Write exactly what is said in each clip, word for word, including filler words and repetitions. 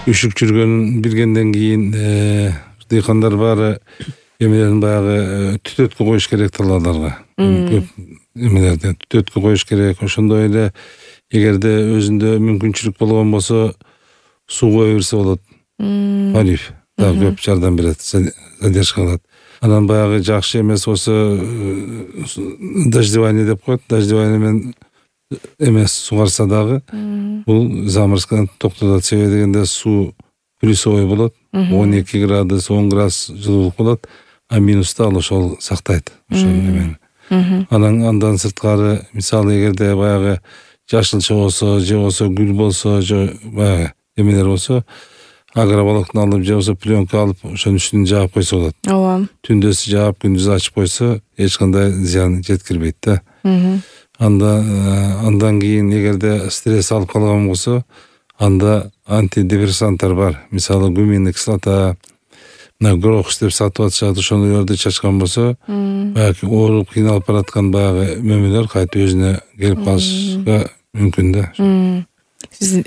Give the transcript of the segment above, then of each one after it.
үшүк жүргөнүн билгенден кийин дыйкандар баары эмелерин баягы түтөткө коюш керек талааларга. Көп эмелерди түтөткө коюш керек. Ошондой эле эгерде өзүндө мүмкүнчүлүк болгон болсо суу кое берсе болот. Полив да көп жардам берет, задержка кылат. Анан баягы жакшы эмес болсо дождевание деп коет. Дождевание менен эмес сугарса дагы бул заморозканы токтотот. Себеби дегенде суу плюсовой болот. он эки градус, он градус жылуулук болот, а минуста ал ошол сактайт ошол эмени. Анан андан сырткары мисалы эгерде баягы жашылча болсо, же болсо гүл болсо, же баягы эмелер болсо, агроволокно алып, же болсо пленка алып, ошонун үстүн жаап койсо болот. Ооба. Түндөсү жаап, күндүз ачып койсо, эч кандай зыян жеткирбейт да. Анда андан кийин эгерде стресс алып калган болсо, анда антидепрессанттар бар. Мисалы гуминный кислота, мына грокс деп сатып атышат, ошондойлорду чачкан болсо, баягы ооруп кыйналып бараткан баягы мөмөлөр кайта өзүнө келип калышка мүмкүн да. Сиз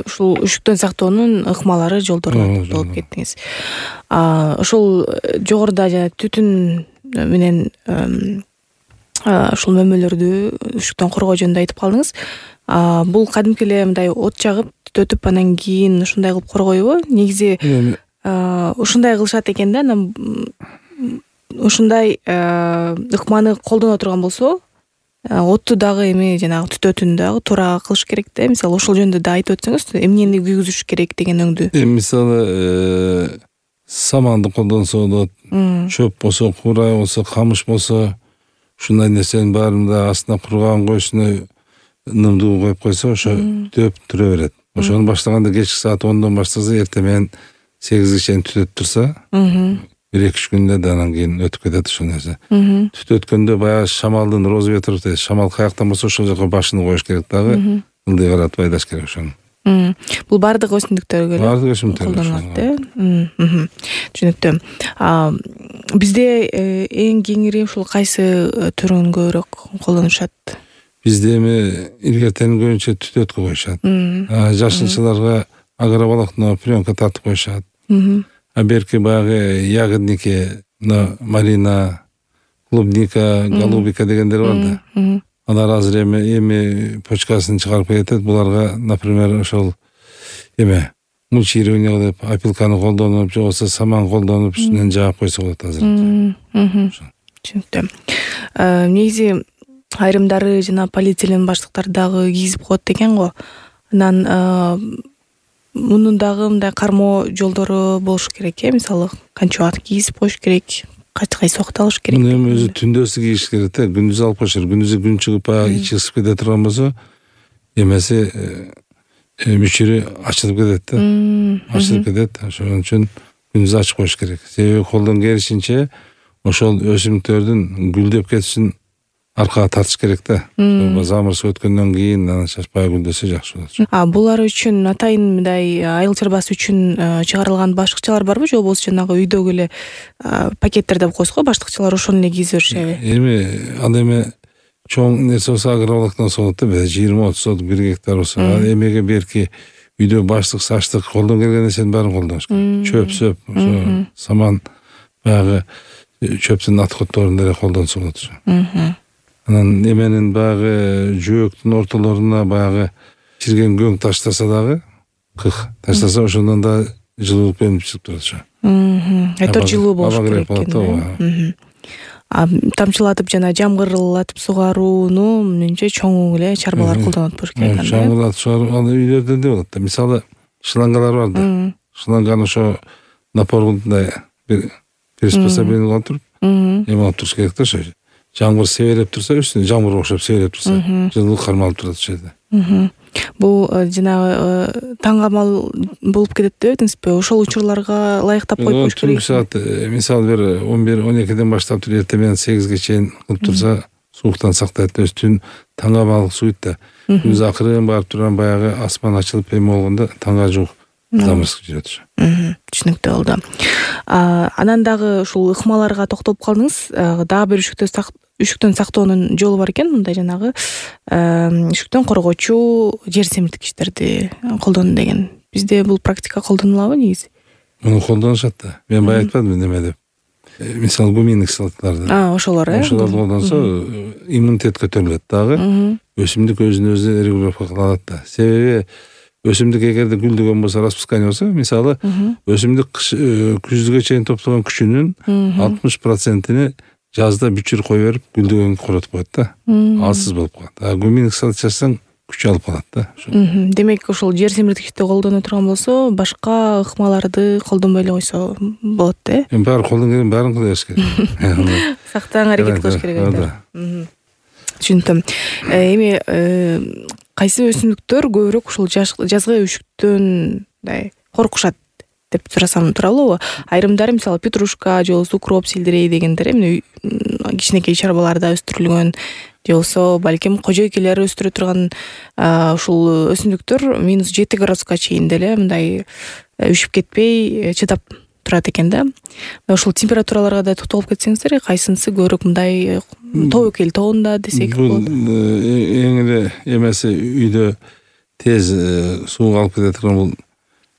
ушул үшүктөн сактоонун ыкмалары, жолдоруна токтолуп кеттиңиз. Ошол жогоруда жана түтүн менен ушул мөмөлөрдү үшүктөн коргоо жөнүндө айтып калдыңыз. Бул кадимки эле мындай от жагып түтөтүп анан кийин ушундай кылып коргойбу? Негизи ушундай кылышат экен да. Анан ушундай ыкманы колдоно турган болсо, отту дагы эми жанагы түтөтүүнү дагы туура кылыш керек да. Мисалы ошол жөнүндө да айтып өтсөңүз, эмнени күйгүзүш керек деген өңдү. Мисалы саманды колдонсо болот, чөп болсо, курай болсо, камыш болсо, ушундай нерсенин баарын да астына курган койсуна нымдуу коюп койсо, ошо түтөп турө берет. Ошону баштаганда кечки саат ондон баштаса, эртең менен сегизге чейин түтөтүп турса, бир эки үч күндө да анан кийин өтүп кетет ошол нерсе. Түтөткөндө баягы шамалдын розветров дейт. Шамал каяктан болсо ошол жака башын коюш керек дагы. Ылдый каратып айдаш керек ошону. Бул бардык өсүмдүктөргө эле бардык өсүмдүктөргө колдонулат да. Түшүнүктүү. Бизде эң кеңири ушул кайсы түрүн көбүрөөк колдонушат? Бизде эми илгертенин көбүнчө түтөткө коюшат. Жашылчаларга агроволокно, пленка тартып коюшат. А берки баягы ягодники, малина, клубника, голубика дегендер бар да. Алар азыр эми эми почкасын чыгарып кетет. Буларга, например, ошол эме мульчирование деп опилканы колдонуп, же болбосо саман колдонуп, үстүнөн жаап койсо болот азыр. Түшүнүктүү. Негизи айрымдары жана полиэтилен баштыктар дагы кийизип коет экен го. Анан мунун дагы мындай кармоо жолдору болуш керек э. Мисалы, канча убакыт кийизип коюш керек, кайсы убакыт алыш керек. Муну эми өзү түндөсү кийиш керек да. Күндүз алып коюш керек. Күндүзү күн чыгып баягы ичи ысып кете турган болсо, эмеси мүчүрү ачылып кетет да. Ачылып кетет. Ошон үчүн күндүз ачып коюш керек. Себеби колдон келишинче ошол өсүмдүктөрдүн гүлдөп кетишин аркага тартыш керек да. Замырыз өткөндөн кийин анан чачпай гүлдөсө жакшы болот. А булар үчүн атайын мындай айыл чарбасы үчүн чыгарылган баштыкчалар барбы, же болбосо жанагы үйдөгү эле пакеттер деп коесуз го, баштыкчалар ошону эле кийизе беришеби? Эми ал эми чоң нерсе болсо агроволокносы болот да, жыйырма отуз соток бир гектар болсо. Эмеге берки үйдө баштык, саштык, колдон келген нерсенин баарын колдоnuш керек. Чөп, сөп, ошо саман, баягы чөптүн отходторун деле колдонсо болот ошо. Анан эменин баягы жөөктүн ортолоруна баягы чирген көң таштаса дагы, кых таштаса, ошондон да жылуулук бөлүнүп чыгып турат ошо. Айтор жылуу болуш керек экен. А тамчылатып жана жамгырлатып сугарууну менимче чоң эле чарбалар колдонот болуш керек. Жамгырлатып сугаруу ал үйлөрдө да болот да. Мисалы, шлангалар бар да. Шланганы ошо напорундай бир приспособление туруп, эме алып туруш керек да ошо. Жамгыр себелеп турса, үстүнө жамгыр окшоп себелеп турса, жылуулук кармалып турат ошол жерде. Бул жанагы таңгамал болуп кетет деп этиңизби? Ошол учурларга ылайыктап коюп коюш керек. Түнкү саат, мисалы бир он бир он экиден баштап туруп эртең менен сегизге чейин кылып турса, сууктан сактайт. Өз түн таңгамал суйт да. Күндүз акырын барып турган баягы асман ачылып эме болгондо таңга жуук замырсык жүрөт ошо. Түшүнүктүү болду. Анан дагы ушул ыкмаларга токтолуп калдыңыз. Дагы бир үшүктөн сактоонун жолу бар экен, мындай жанагы үшүктөн коргоочу жер семирткичтерди колдонуу деген. бизде бул практика колдонулабы негизи? Муну колдонушат да. Мен бая айтпадымбы неме деп. Мисалы гумин кислоталарды. А, ошолор э. Ошолорду колдонсо иммунитет көтөрүлөт дагы. Өсүмдүк өзүн өзү регулировка кыла алат да. Себеби өсүмдүк эгерде гүлдөгөн болсо, распускание болсо, мисалы өсүмдүк күздүгө чейин топтогон күчүнүн алтымыш процентini жазда бүчүр кое берип гүлдөгөнгө коротуп коет да. Алсыз болуп калат. А гумин кислот чачсаң күч алып калат да. Демек ошол жер семирткичти колдоно турган болсо, башка ыкмаларды колдонбой эле койсо болот да. Эми баары колдон келген баарын кыла бериш керек. Сактаң аракет кылыш керек да. Түшүндүм. Эми кайсы өсүмдүктөр көбүрөөк ушул жазгы өшүктөн мындай коркушат деп сурасам туура болобу? Айрымдары мисалы петрушка же болбосо укроп, сельдерей дегендер эмне кичинекей чарбаларда өстүрүлгөн же болбосо балким кожойкелер өстүрө турган ушул өсүмдүктөр минус жети градуска чейин деле мындай үшүп кетпей чыдап турат экен да. Ошол температураларга да токтолуп кетсеңиздер, кайсынысы көбүрөөк мындай тобокел тобунда десек болот? Бул эң эле эмеси үйдө тез сууга алып кете турган бул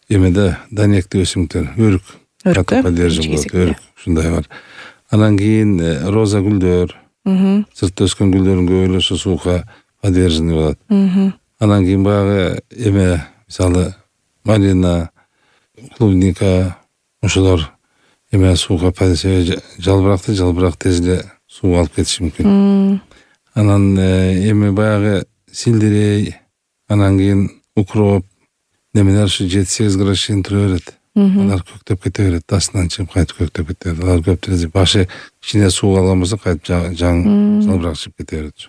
эмеде данектик өсүмдүктөр, өрүк. Өрүк болот, өрүк ушундай бар. Анан кийин роза гүлдөр, сыртта өскөн гүлдөрдүн көбү ошо суукка подверженный болот. Анан кийин баягы эме, мисалы малина, клубника, ошолор эме суукка подверженный, жалбыракты жалбырак тез эле сууга алып кетиши мүмкүн. Анан эми баягы сельдерей, анан кийин укроп, немелер ушу жети сегиз градус чейин тура берет. Алар көктөп кете берет, астынан чыгып кайтып көктөп кете берет. Алар көптүрө башы кичине суу алган болсо кайтып жаң жалбырак чыгып кете берет.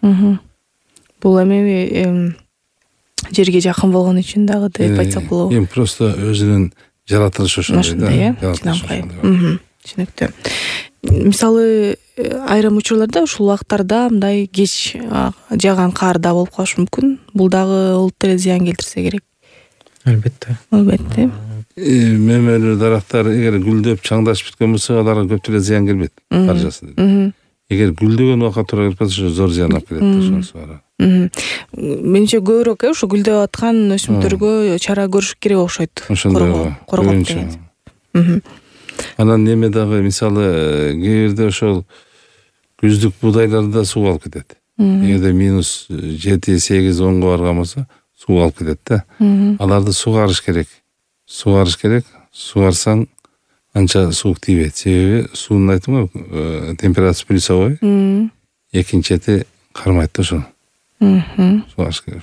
Бул эми жерге жакын болгон үчүн дагы деп айтсак болобу? Эми просто өзүнүн жаратылышы ошондой да. Түшүнүктүү. Мисалы айрым учурларда ушул убактарда мындай кеч жааган кар да болуп калышы мүмкүн. Бул дагы олуттуу эле зыян келтирсе керек. Албетте. Албетте. Мемелүү дарактар эгер гүлдөп чаңдашып бүткөн болсо, аларга көп эле зыян келбейт. Каржасы. Эгер гүлдөгөн убакка туура келип калса, зор зыян алып келет ошонусу бар. Менимче көбүрөөк ушу гүлдөп аткан өсүмдүктөргө чара көрүш керек окшойт. Ошондой коргоп. Анан неме дагы мисалы кээ бирде ошол күздүк буудайларды суу алып кетет. Эгерде минус жети сегиз онго барган болсо, суу алып кетет да. Аларды сугарыш керек. Сугарыш керек. Сугарсаң анча суук тийбейт. Себеби суунун айтымы температурасы плюсовой. Экинчи чети кармайт да ошол. Сугарыш керек.